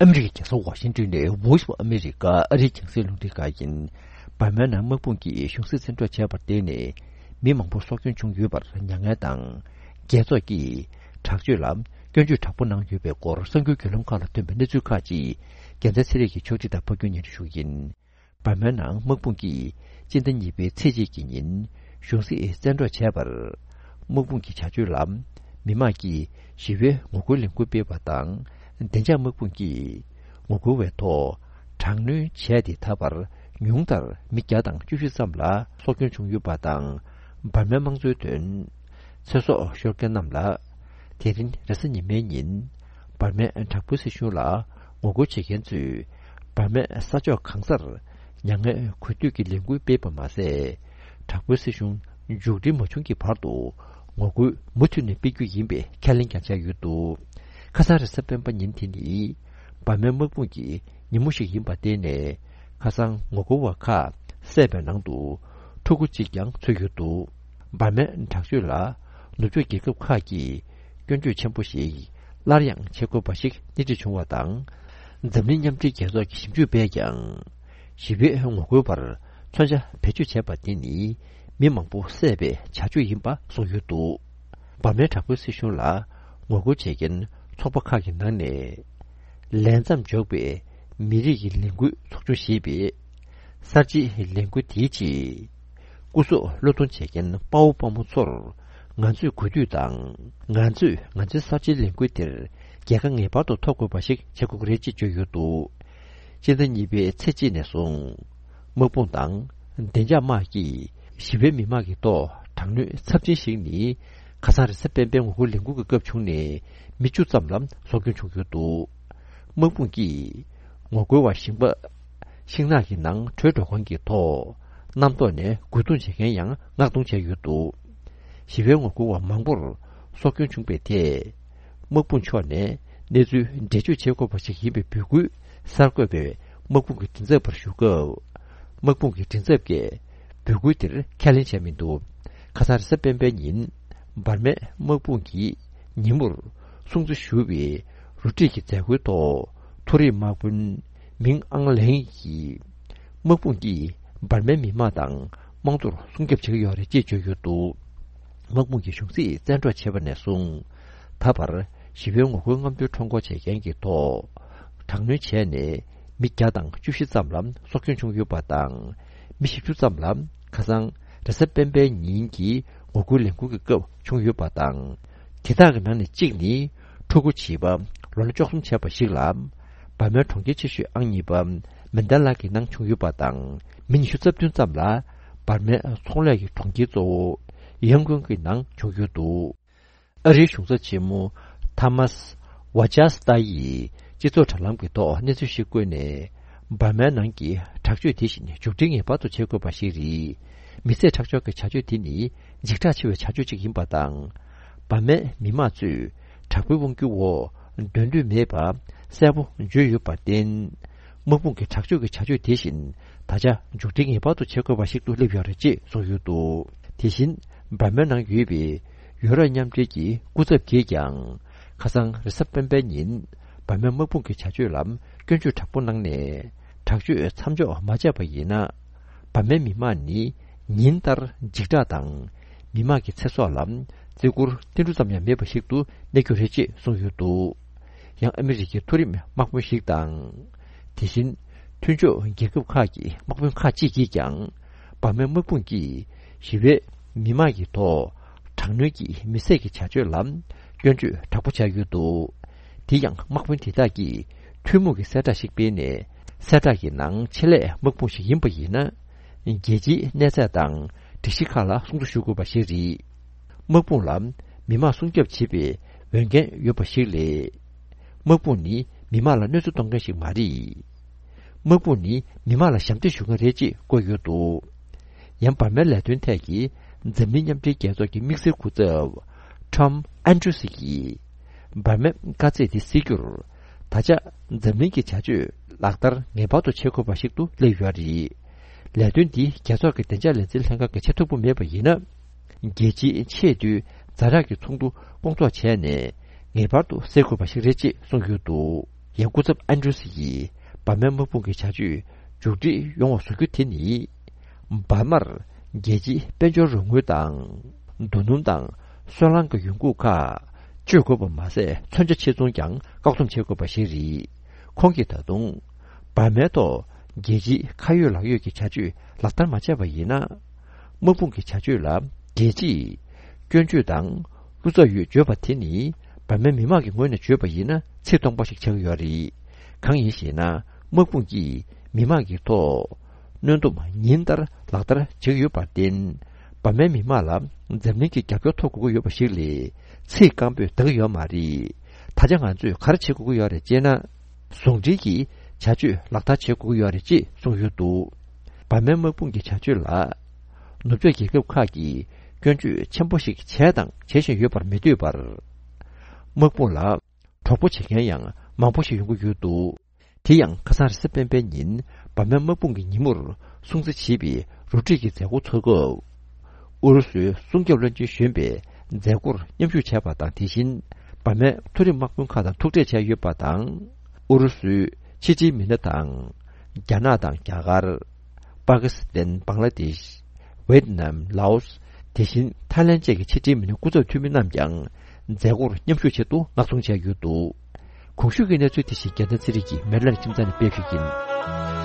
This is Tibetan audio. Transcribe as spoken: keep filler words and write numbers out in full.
ཨ་མི་རི་ཀའི་རྒྱལ་ས་ཝ་ཤིང་ཏོན་ནས་Voice of America ཨ་རིའི་རྒྱང་སྲིང་རླུང་འཕྲིན་ཁང་ཡིན། འབར་མའི་ནང་དམག་དཔུང་གིས་གཞུང་སྲིད་བཙན་འཕྲོག་བྱས་པར་བརྟེན་ནས། མི་མང་པོ་སྲོག་སྐྱོན་བྱུང་ཡོད་པར་མྱ་ངན་དང་། རྒྱལ་ཚོགས་ཀྱིས་དྲག་སྤྱོད་ལ་སྐྱོན་བརྗོད་དྲག་པོ་གནང་ཡོད་པའི་སྐོར་གསར་འགྱུར་བརྒྱུད་ལམ་ཁག་ལ་ཐོན་པའི་གནས་ཚུལ་ཁག་ཅིག་རྒྱལ་མཚན་ཚེ་རིང་གིས་ཕྱོགས་སྒྲིག་དང་ཕབ་སྒྱུར་སྙན་སྒྲོན་ཞུ་གི་ཡིན། འབར་མའི་ནང་དམག་དཔུང་གིས་སྤྱི་ཟླ་གཉིས་པའི་ཚེས་གཅིག་གི་ཉིན་གཞུང་སྲིད་བཙན་འཕྲོག་བྱས་པར། དམག་དཔུང་གི་བྱ་སྤྱོད་ལ་མི་མང་གིས་ཞི་བའི་ངོ་རྒོལ་ལས་འགུལ་སྤེལ་བ་དང་། བདེ་འཇགས་དམག་དཔུང་གིས་ངོ་རྒོལ་བའི་ཐོག་དྲག་གནོན་བྱས་ཏེ་ད་བར་ཉུང་མཐར་མི་བརྒྱ་དང་བཅུ་བཞི་ཙམ་ལ་སྲོག་སྐྱོན་བྱུང་ཡོད་པ་དང་། འབར་མའི་དམངས་གཙོའི་དོན། ཚེ་སྲོག་ཤོར་མཁན་རྣམས་ལ། དེ་རིང་རེས་གཟའ་ཉི་མའི་ཉིན། འབར་མའི་དྲག་པོའི་སྲིད་གཞུང་ལ་ངོ་རྒོལ་བྱེད་མཁན་ཚོས། འབར་མའི་ས་ཕྱོགས་གང་སར་མྱ་ངན་གུས་འདུད་ཀྱི་ལས་འགུལ་སྤེལ་བ་མ་ཟད། དྲག་པོའི་སྲིད་གཞུང་མཇུག་སྒྲིལ་མ་བྱུང་གི་བར་དུ་ངོ་རྒོལ་མུ་མཐུད་ནས་སྤེལ་རྒྱུ་ཡིན་པའི་ཁས་ལེན་ཀྱང་བྱས་ཡོད་འདུག་ཁ་སང་རེས་གཟའ་སྤེན་པ་ཉིན་དེ་ནི། འབར་མའི་དམག་དཔུང་གི་ཉིན་མོ་ཞིག་ཡིན་པར་བརྟེན་ནས། ཁ་སང་ངོ་རྒོལ་བ་ཁག་བསད་པའི་ནང་དུ། ཕྲུ་གུ་གཅིག་ཀྱང་ཚུད་ཡོད་འདུག་འབར་མའི་དྲག་སྤྱོད་ལ་ནུབ་ཕྱོགས་རྒྱལ་ཁབ་ཁག་གིས་སྐྱོན་བརྗོད་ཆེན་པོ་ཞིག་སླར་ཡང་བྱེད་དགོས་པ་ཞིག་སྣེ་ཁྲིད་བྱུང་བ་དང་། འཛམ་གླིང་མཉམ་འབྲེལ་རྒྱལ་ཚོགས་ཀྱི་ཞིབ་འཇུག་པས་ཀྱང་། ཞི་བའི་ངོ་རྒོལ་བར་མཚོན་ཆ་བེད་སྤྱོད་བྱས་པ་དེ་ནི་མི་མང་པོ་བསད་པའི་བྱ་སྤྱོད་ཡིན་པ་གསུངས་ཡོད་འདུག་འབར་མའི་དྲག་པོའི་སྲིད་གཞུང་ལ་ངོ་རྒོལ་བྱེད་མཁན་ཚོགས་པ་ཁག་གི་ནང་ནས། ལས་མཚམས་འཇོག་པའི་མི་རིགས་ཀྱི་ལས་འགུལ་ཚོགས་ཆུང་ཞེས་པའི་གསར་བརྗེའི་ལས་འགུལ་དེའི་ཆེད། སྐུ་སྲོག་བློས་གཏོང་བྱེད་མཁན་དཔའ་བོ་དཔའ་མོ་ཚོར་ང་ཚོས་གུས་འདུད་དང་། ང་ཚོས་ང་ཚོའི་གསར་བརྗེའི་ལས་འགུལ་དེར་རྒྱལ་ཁ་ངེས་པར་དུ་ཐོབ་དགོས་པ་ཞིག་བྱེད་དགོས་ཀྱི་རེད་ཅེས་བརྗོད་ཡོད་འདུག་སྤྱི་ཟླ་གཉིས་པའི་ཚེས་གཅིག་ནས་བཟུང་། དམག་དཔུང་དང་བདེ་འཇགས་དམག་གིས་ཞི་བའི་མི་མང་གི་ཐོག་དྲག་གནོན་ཚབས་ཆེན་ཞིག་ནི། ཁ་སང་རེས་གཟའ་སྤེན་པའི་ངོ་རྒོལ་ལས་འགུལ་གྱི་སྐབས་བྱུང་ནས་མི་བཅུ་ཙམ་ལ་སྲོག་སྐྱོན་བྱུང་ཡོད་འདུག་དམག་དཔུང་གིས་ངོ་རྒོལ་བ་ཞིང་པ་ཤིང་ནགས་ཀྱི་ནང་བྲོས་འགྲོ་མཁན་གྱི་ཐོག་གནམ་ཐོག་ནས་རྒོལ་རྡུང་བྱེད་མཁན་ཡང་མངགས་གཏོང་བྱས་ཡོད་འདུག་ཞི་བའི་ངོ་རྒོལ་བ་མང་པོར་སྲོག་སྐྱོན་བྱུང་བའི་ཐད། དམག་དཔུང་ཕྱོགས་ནས་གནས་ཚུལ་འགྲེལ་བརྗོད་བྱེད་དགོས་པ་ཞིག་ཡིན་པའི་འབོད་སྐུལ་གསར་འགོད་པས་དམག་དཔུང་གི་མགྲིན་ཚབ་པར་ཞུ་སྐབས། དམག་དཔུང་གི་མགྲིན་ཚབ་ཀྱིས་འབོད་སྐུལ་དེར་ཁས་ལེན་བྱས་མི་འདུག་ཁ་སང་རེས་གཟའ་སྤེན་པའི་ཉིན། འབར་མའི་དམག་དཔུང་གིས་ཉིན་མོར་སྲུང་བརྩི་ཞུ་བའི་རུ་སྒྲིག་གི་མཛད་སྒོའི་ཐོག་མཐོ་རིམ་དམག་དཔོན་མིང་ཨང་ལེང་གིས། དམག་དཔུང་གིས་འབར་མའི་མི་དམངས་དང་དམངས་གཙོར་སྲུང་སྐྱོབ་བྱེད་ཀྱི་ཡོད་རེད་ཅེས་བརྗོད་ཡོད་འདུག་དམག་དཔུང་གིས་གཞུང་སྲིད་བཙན་འཕྲོག་བྱས་པ་ནས་བཟུང་། ད་བར་ཞི་བའི་ངོ་རྒོལ་རྔམ་སྟོན་ཁྲོམ་སྐོར་བྱེད་མཁན་གྱི་ཐོག་དྲག་གནོན་བྱས་ནས་མི་བརྒྱ་དང་བཅུ་བཞི་ཙམ་ལ་སྲོག་སྐྱོན་བྱུང་ཡོད་པ་དང་། མི་བཞི་བཅུ་ཙམ་ལ་ཁ་སང་རེས་གཟའ་སྤེན་པའི་ཉིན་གྱི་ངོ་རྒོལ་ལས་འགུལ་གྱི་སྐབས་བྱུང་ཡོད་པ་དང་། དེ་དག་གི་ནང་ནས་གཅིག་ནི་ཕྲུ་གུ་བྱིས་པ་ལོ་ན་བཅུ་གསུམ་བྱས་པ་ཞིག་ལ། འབར་མའི་གྲོང་ཁྱེར་ཆེ་ཤོས་ཨང་གཉིས་པ་མན་ཌ་ལ་གི་ནང་བྱུང་ཡོད་པ་དང་། མི་ཉི་ཤུ་རྩ་བདུན་ཙམ་ལ་འབར་མའི་ཚོང་ལས་ཀྱི་གྲོང་ཁྱེར་གཙོ་བོ་ཡང་ཀོན་གྱི་ནང་བྱུང་ཡོད་འདུག་ཨ་རིའི་གཞུང་ཚབ་ཆེན་མོ་ཐ་མཱས་ཝ་ཇཱ་སི་ཏཱ་ཡིས་སྤྱི་ཚོགས་དྲ་ལམ་གྱི་ཐོག་གནས་ཚུལ་ཞིག་བཀོད་ནས། འབར་མའི་ནང་གི་དྲག་སྤྱོད་དེ་བཞིན་མཇུག་སྒྲིལ་ངེས་པར་དུ་བྱེད་དགོས་པ་ཞིག་རེད། མི་ཚེ་ཁྲག་སྦྱོར་གྱི་བྱ་སྤྱོད་དེ་ནི་འཇིགས་སྐྲག་ཆེ་བའི་བྱ་སྤྱོད་ཅིག་ཡིན་པ་དང་། འབར་མའི་མི་དམངས་ཚོས་དྲག་པོའི་དབང་སྒྱུར་འོག་སྡོད་འདོད་མེད་པ་གསལ་པོ་བརྗོད་ཡོད་པར་བརྟེན། དམག་དཔུང་གི་དྲག་སྤྱོད་ཀྱི་བྱ་སྤྱོད་དེ་བཞིན་ད་ཆ་མཇུག་སྒྲིལ་ངེས་པར་དུ་བྱེད་དགོས་པ་ཞིག་ཏུ་སླེབས་ཡོད་རེད་ཅེས་གསུངས་ཡོད་འདུག་དེ་བཞིན་འབར་མའི་ནང་ཡོད་པའི་ཡུ་རོབ་མཉམ་འབྲེལ་གྱི་སྐུ་ཚབ་ཀྱིས་ཀྱང་ཁ་སང་རེས་གཟའ་སྤེན་པའི་ཉིན་འབར་མའི་དམག་དཔུང་གི་བྱ་སྤྱོད་ལ་སྐྱོན་བརྗོད་དྲག་པོ་གནང་ནས། དྲག་སྤྱོད་མཚམས་འཇོག་མ་བྱས་པ་ཡིན་ན། འབར་མའི་མི་དམངས་ནི་ཉིན་ལྟར་འཇིགས་སྐྲག་དང་། མི་དམངས་ཀྱི་ཚེ་སྲོག་ལ་བརྩི་བཀུར་ཏིལ་འབྲུ་ཙམ་ཡང་མེད་པ་ཞིག་ཏུ་གནས་རྒྱུ་རེད་ཅེས་གསུངས་ཡོད་འདུག་ཡང་ཨ་མི་རི་ཀའི་མཐོ་རིམ་དམག་དཔོན་ཞིག་དང་། དེ་བཞིན་མཐུན་ཕྱོགས་རྒྱལ་ཁབ་ཁག་གི་དམག་དཔོན་ཁག་ཅིག་གིས་ཀྱང་འབར་མའི་དམག་དཔུང་གིས་ཞི་བའི་མི་དམངས་ཀྱི་ཐོག་དྲག་གནོན་གྱིས་མི་བསད་ཀྱི་བྱ་སྤྱོད་ལ་སྐྱོན་བརྗོད་དྲག་པོ་བྱས་ཡོད་འདུག་དེ་ཡང་དམག་དཔོན་དེ་དག་གིས་ཐུན་མོང་གི་གསལ་བསྒྲགས་ཤིག་སྤེལ་ནས། གསལ་བསྒྲགས་ཀྱི་ནང་ཆེད་ལས་དམག་དཔུང་ཞིག་ཡིན་པ་ཡིན་ན། རྒྱལ་སྤྱིའི་གནས་ཚད་དང་སྒྲིག་གཞི་ཁག་ལ་སྲུང་བརྩི་ཞུ་དགོས་པ་ཞིག་རེད། དམག་དཔུང་ལ་མི་དམངས་སྲུང་སྐྱོབ་བྱེད་པའི་འོས་འགན་ཡོད་པ་ཞིག་ལས། དམག་དཔུང་ནི་མི་དམངས་ལ་གནོད་འཚེ་གཏོང་མཁན་ཞིག་མ་རེད། དམག་དཔུང་ནི་མི་དམངས་ལ་ཞབས་འདེགས་ཞུ་མཁན་རེད་ཅེས་བཀོད་ཡོད་འདུག་ཡང་འབར་མའི་ལས་དོན་ཐད་ཀྱི་འཛམ་གླིང་མཉམ་འབྲེལ་རྒྱལ་ཚོགས་ཀྱི་དམིགས་བསལ་སྐུ་ཚབ་Tom Andrews གྱིས། འབར་མའི་དཀའ་ཚེགས་དེ་སེལ་རྒྱུར། ད་ཆ་འཛམ་གླིང་གི་བྱ་སྤྱོད་ལག་བསྟར་ངེས་པར་དུ་བྱེད་དགོས་པ་ཞིག་ཏུ་སླེབས་ཡོད་རེད། ལས་དོན་འདི་རྒྱལ་ཚོགས་ཀྱི་བདེ་འཇགས་ལས་འཛིན་ལྷན་ཁང་གི་ཆེས་མཐོ་པོ་མེད་པ་ཡིན་ན། རྒྱལ་སྤྱིའི་ཆེས་མཐོའི་ཛ་དྲག་གི་ཚོགས་འདུ་སྐོང་ཚོགས་བྱས་ནས་ངེས་པར་དུ་སེལ་དགོས་པ་ཞིག་རེད་ཅེས་གསུངས་ཡོད་འདུག་ཡང་སྐུ་ཚབ་ཨན་ཌྲུ་སི་ཡིས་འབར་མའི་དམག་དཔུང་གི་བྱ་སྤྱོད་མཇུག་སྒྲིལ་ཡོང་བ་བཟོ་རྒྱུ་དེ་ནི། འབར་མར་རྒྱལ་སྤྱིའི་དཔལ་འབྱོར་རོགས་དངུལ་དང་། རྡོ་སྣུམ་དང་སོལ་རླངས་ཀྱི་ཡོང་འགུག་ཁག་སྤྱོད་དགོས་པ་མ་ཟད། མཚོན་ཆ་ཆེད་ཚོང་ཀྱང་བཀག་སྡོམ་བྱེད་དགོས་པ་ཞིག་རེད། ཁོང་གིས་ད་དུང་། འབར་མའི་ཐོག་རྒྱལ་སྤྱིའི་ཁ་ཡོད་ལག་ཡོད་ཀྱི་བྱ་སྤྱོད་ལག་བསྟར་མ་བྱས་པ་ཡིན་ན། དམག་དཔུང་གི་བྱ་སྤྱོད་ལ་རྒྱལ་སྤྱིས་སྐྱོན་བརྗོད་དང་བློ་འཚབ་ཡོད་བརྗོད་པ་དེ་ནི། འབར་མའི་མི་མང་གི་ངོས་ནས་བརྗོད་པ་ཡིན་ན། ཚིག་སྟོང་པ་ཞིག་ཆགས་ཀྱི་ཡོད་རེད། གང་ཡིན་ཞེ་ན། དམག་དཔུང་གིས་མི་མང་གི་ཐོག་གནོན་སྡོམ་ཉིན་ལྟར་ལག་བསྟར་བྱེད་ཀྱི་ཡོད་པར་བརྟེན། འབར་མའི་མི་མང་ལ་འཛམ་གླིང་གི་རྒྱབ་སྐྱོར་ཐོབ་དགོས་ཀྱི་ཡོད་པ་ཞིག་ལས། ཚིག་སྐམ་པོས་འདང་གི་ཡོད་མ་རེད། ད་ཆ་ང་ཚོས་ག་རེ་བྱེད་དགོས་ཀྱི་ཡོད་རེད་ཅེ་ན། ཟུང་འབྲེལ་གྱིས་བྱ་སྤྱོད་ལག་བསྟར་བྱེད་དགོས་ཀྱི་ཡོད་རེད་ཅེས་གསུངས་ཡོད་འདུག་འབར་མའི་དམག་དཔུང་གི་བྱ་སྤྱོད་ལ། ནུབ་ཕྱོགས་རྒྱལ་ཁབ་ཁག་གིས་སྐྱོན་བརྗོད་ཆེན་པོ་ཞིག་བྱས་དང་བྱེད་བཞིན་ཡོད་པར་མི་འདོད་པར། དམག་དཔུང་ལ་གྲོགས་པོ་བྱེད་མཁན་ཡང་མང་པོ་ཞིག་ཡོང་གི་ཡོད་འདུག་དེ་ཡང་ཁ་སང་རེས་གཟའ་སྤེན་པའི་ཉིན་འབར་མའི་དམག་དཔུང་གི་ཉིན་མོར་སྲུང་བརྩི་བྱེད་པའི་རོ་ཁྲིད་ཀྱི་མཛད་སྒོ་ཚོགས་སྐབས། ཨུ་རུ་སུའི་སྲུང་སྐྱོབ་བློན་ཆེན་གཞོན་པས་མཛད་སྒོར་མཉམ་ཞུགས་བྱས་པ་དང་། དེ་བཞིན་འབར་མའི་མཐོ་རིམ་དམག་དཔོན་ཁག་དང་ཐུག་འཕྲད་བྱས་ཡོད་པ་དང་། ཨུ་རུ་སུའི་ཕྱི་འབྲེལ་མི་སྣ་དང་། རྒྱ་ནག་དང་རྒྱ་གར། པ་ཀི་སི་ཐན། བང་ལ་དེཤ། ཝེད་ནམ། ལའོ་སི། དེ་བཞིན་ཐའི་ལན་བཅས་ཀྱི་ཕྱི་འབྲེལ་མི་སྣ་སྐུ་ཚབ་འཐུས་མི་རྣམས་ཀྱང་མཛད་སྒོར་མཉམ་ཞུགས་ཆེད་དུ་མངགས་གཏོང་བྱས་ཡོད་འདུག་གོང་ཞུས་ཀྱི་གནས་ཚུལ་དེ་བཞིན་རྒྱལ་མཚན་ཚེ་རིང་གིས་མེ་ལན་ཁྱིམ་ཚང་ནས་སྤེལ་ཞུས་ཡིན།